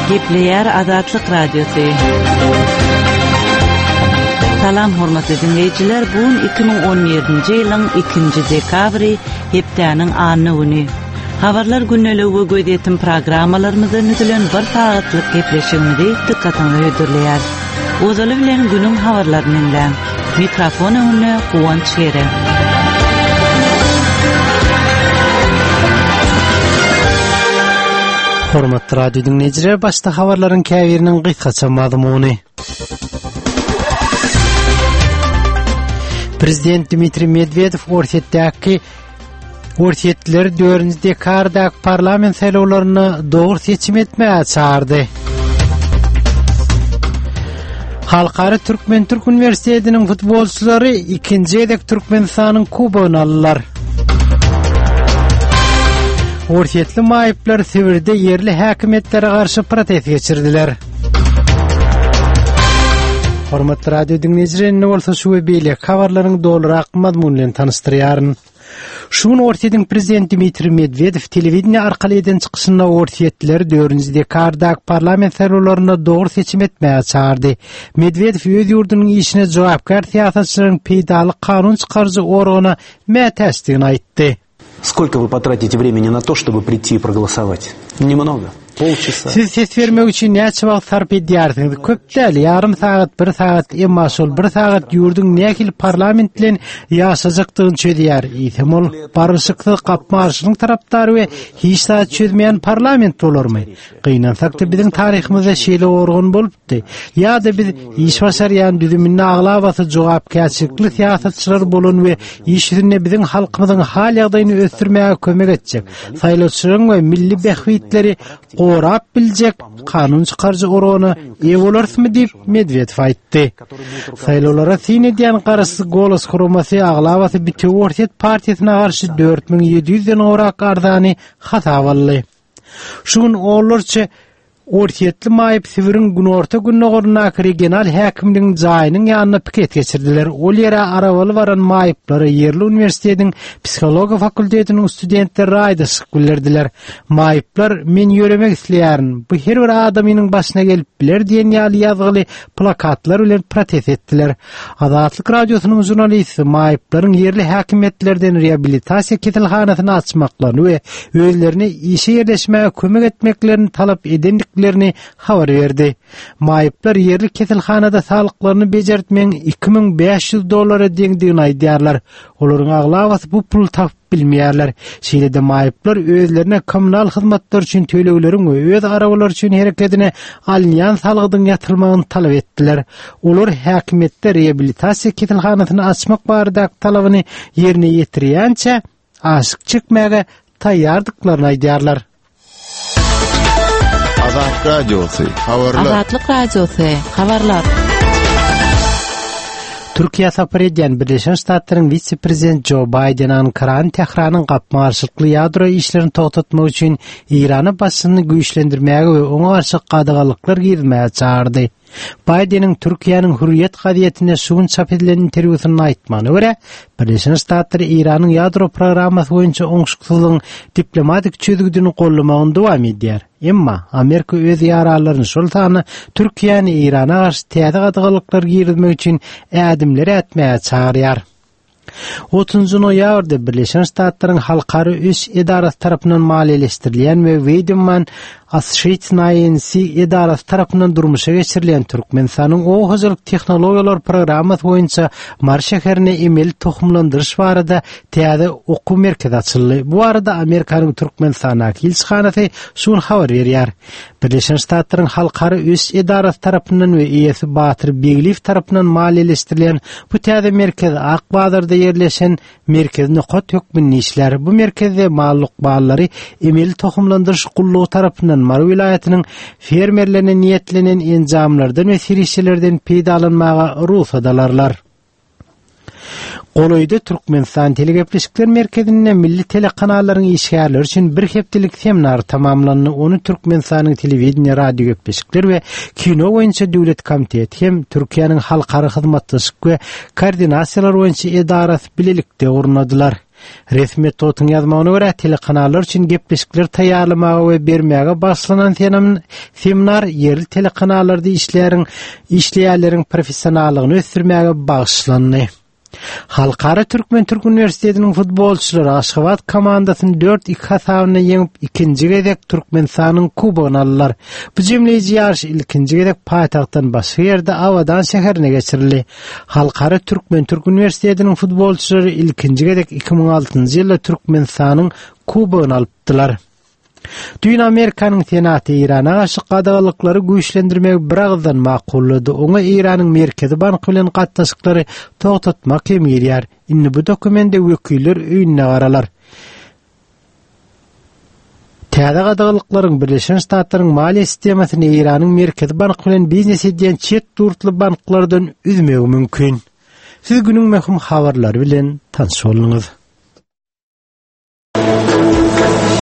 Gepleýär Azatlyk Radiosy. Salam hormatly diňleýjiler, bu gün 2017-nji ýylyň 2-nji dekabry, hepdäniň anna güni. Habarlar gündeligi we gözýetim programmalarymyzdan düzülen bir sagatlyk gepleşigimizi dykgatyňyza hödürleýäris. Ozaly bilen günüň habarlaryny diňläň. Mikrofon öňünde Guwanç Gere. Hormatly radio diňleýjiler, başda habarlaryň käbiriniň gysgaça mazmuny. Prezident Dmitriý Medwedew Orsýetdäki Orsýetlileri 4-nji dekabrdaky parlament saýlawlarynda dogry seçim etmäge çagyrdy. Halkara Türkmen-Türk uniwersitetiniň futbolçylary ikinji gezek Türkmenistanyň kubogyny aldylar. Orsýetli maýyplar Sibirde ýerli häkimiýetlere garşy protest geçirdiler. Hormatly radio diňleýjiler, indi bolsa şu we beýleki habarlaryň dolurak mazmuny bilen tanyşdyrýaryn. Şu gün Orsýetiň prezidenti Dmitriý Medwedew telewideniýe arkaly eden çykyşynda orsýetlileri 4-nji dekabrdaky parlament saýlawlarynda dogry seçim etmäge çagyrdy. Medwedew öz ýurdunyň işine jogapkär syýasatçylaryň peýdaly kanun çykaryjy organa mätäçdigini aýtdy. Сколько вы потратите времени на то, чтобы прийти и проголосовать? Немного. Polçasa. Siz ses bermek üçin näçe wagt sarp edýärsiňiz? Köp däl, ýarym sagat, bir sagat, emma şol bir sagat ýurduň nähili parlament bilen ýaşajakdygyny çözýär. Eýsem ol barlyşyksyz gapma-garşylygyň tarapdary we hiç zat çözmeýän parlament bolarmy? Gynansak-da biziň taryhymyzda şeýle organ bolupdy. Ýa-da biz iş başarýan düzüminde aglabasy jogapkärçilikli syýasatçylar bolan we iş ýüzünde biziň halkymyzyň hal-ýagdaýyny ösdürmäge kömek etjek, saýlawçylaryň we milli bähbitleri gorap biljek kanun çykaryjy organa eýe bolarysmy diýip, Medwedew aýtdy. Saýlawlara syn edýän Garaşsyz Golos guramasy aglabasy Bitewi Orsýet partiýasyna garşy 4700 den gowrak arzany hasaba aldy. Şu gün onlarça Orsýetli maýyp Sibiriň günorta-gündogaryndaky regional häkimligiň jaýynyň ýanynda piket geçirdiler. Ol ýere arabaly baran maýyplara ýerli uniwersitetiň psihologiýa fakultetiniň studentleri raýdaşlyk bildirdiler. Maýyplar Men ýöremek isleýärin, bu her bir adamynyň başyna gelip biler diýen ýaly ýazgyly plakatlar bilen protest etdiler. Azatlyk Radiosynyň žurnalisti maýyplaryň ýerli häkimiýetlerden reabilitasiýa keselhanasyny açmaklaryny we özlerine işe ýerleşmäge kömek etmeklerini talap edendiklerini habar berdi. Maýyplar ýerli keselhanada saglyklaryny bejertmegiň 2500 dollara deňdigini aýdýarlar. Olaryň aglabasy bu puly tapyp bilmeýärler. Şeýle-de maýyplar özlerine kommunal hyzmatlar üçin tölegleriň we öz arabalary üçin herekedine alynýan salgydyň ýatyrylmagyny talap etdiler. Olar häkimiýetde reabilitasiýa keselhanasyny açmak baradaky talabyny ýerine ýetirýänçä aşyk çekmäge taýýardyklaryny aýdýarlar. Azat Radiosy, habarlar. Azatlyk Radiosy, habarlar. Türkiýä sapar edýän Birleşen Ştatlaryň wise-prezident Jo Baýden Ankarany Tähranyň gapma-garşylykly ýadro işlerini togtatmak üçin Eýrana basyşyny güýçlendirmäge we oňa garşy gadaganlyklar girizmäge çagyrdy. Baýdeniň Türkiýäniň Hürriýet gazetinde şu gün çap edilen interwýusynda aýtmagyna görä, Birleşen Ştatlar Eýranyň ýadro programmasy boýunça oňşuksyzlygyň diplomatik çözgüdini goldamagyny dowam edýär. Emma Amerika öz ýaranlaryny, şol sanda Türkiýäni Eýrana garşy täze gadaganlyklar girizmek üçin ädimler ätmäge çagyrýar. Otuzynjy noýabrda Birleşen Ştatlaryň Halkara ösüş edarasy tarapyndan maliýeleşdirilýän we Weidmann Associates INC edarasy tarapyndan durmuşa geçirilýän Türkmenistanyň oba hojalyk tehnologiýalar programmasy boýunça Mary şäherinde emeli tohumlandyryş barada täze okuw merkezi açyldy. Bu barada Amerikanyň Türkmenistandaky ilçihanasy şu gün habar berýär. Birleşen Ştatlaryň Halkara ösüş edarasy tarapyndan we eýesi Batyr Begliýew tarapyndan maliýeleşdirilýän bu täze merkez Ak bazarda ýerleşen merkezi nokat hökmünde işlär. Bu merkezde mal lukmanlary emeli tohumlandyryş gullugy tarapyndan Mary welaýatynyň fermerlerine niýetlenen enjamlardan we serişdelerden peýdalanmaga rugsat alarlar. Golaýda Türkmenistan Telegepleşikler merkezinde milli telekanallaryň işgärleri üçin bir hepdelik seminar tamamlandy. Ony Türkmenistanyň Telewideniýe, radiogepleşikler we kino boýunça döwlet komiteti hem Türkiýäniň Halkara hyzmatdaşlyk we koordinasiýalar boýunça edarasy bilelikde gurnadylar. Resmi metbugatyň ýazmagyna görä, telekanallar üçin gepleşikler taýýarlamaga we bermäge bagyşlanan seminar ýerli telekanallarda işleýäriň işleýänleriň professionallygyny ösdürmäge bagyşlandy. Halkara Türkmen-Türk uniwersitetiniň futbolçylary Aşgabat komandasyny 4-2 hasabynda ýeňip, ikinji gezek Türkmenistanyň kubogyny aldylar. Bu jemleýji ýaryş ilkinji gezek paýtagtdan başga ýerde Abadan şäherinde geçirildi. Halkara Türkmen-Türk uniwersitetiniň futbolçylary ilkinji gezek 2006-njy ýylda Türkmenistanyň kubogyny alypdylar. Düýn Amerikanyň Senaty Eýrana garşy gadaganlyklary güýçlendirmegi biragyzdan makullady. Oňa Eýranyň Merkezi banky bilen gatnaşyklary togtatmak hem girýär. Indi bu dokumende Wekiller öýünde garalar. Täze gadaganlyklaryň Birleşen Ştatlaryň maliýe sistemasyny Eýranyň Merkezi banky bilen biznes edýän çet ýurtly banklardan üzmegi mümkin. Siz günüň möhüm habarlary bilen tanyş bolduňyz.